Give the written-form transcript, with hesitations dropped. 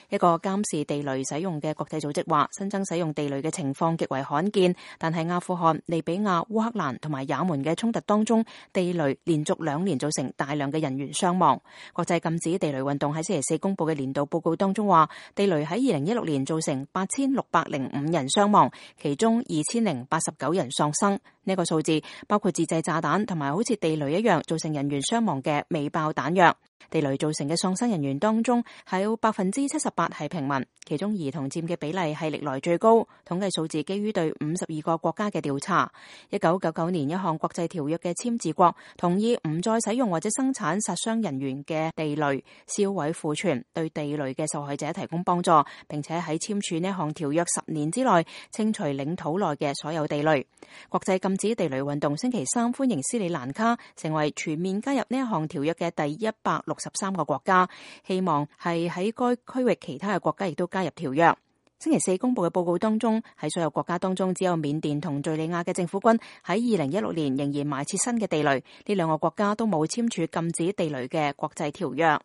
一個監視地雷使用嘅國際組織話，新增使用地雷嘅情況極為罕見，但係阿富汗、利比亞、烏克蘭同埋也門嘅衝突當中，地雷連續2年造成大量嘅人員傷亡。國際禁止地雷運動喺星期四公布嘅年度報告當中話，地雷喺2016年造成8605人傷亡，其中2089人喪生。呢個數字包括自製炸彈同埋好似地雷一樣造成人員傷亡嘅未爆彈藥。地雷造成嘅喪生人員當中，係有78%係平民，其中兒童佔嘅比例係歷來最高。統計數字基於對52個國家嘅調查。1999年一項國際條約嘅簽字國同意唔再使用或者生產殺傷人員嘅地雷，銷毀庫存，對地雷嘅受害者提供幫助，並且喺簽署呢項條約10年之內清除領土內嘅所有地雷。國際禁止地雷運動星期三歡迎斯里蘭卡成為全面加入呢一項條約嘅第163個國家，希望係喺該區域其他嘅國家亦都加入條約。星期四公布嘅報告當中，喺所有國家當中，只有緬甸同敘利亞嘅政府軍喺2016年仍然埋設新嘅地雷，呢2個國家都冇簽署禁止地雷嘅國際條約。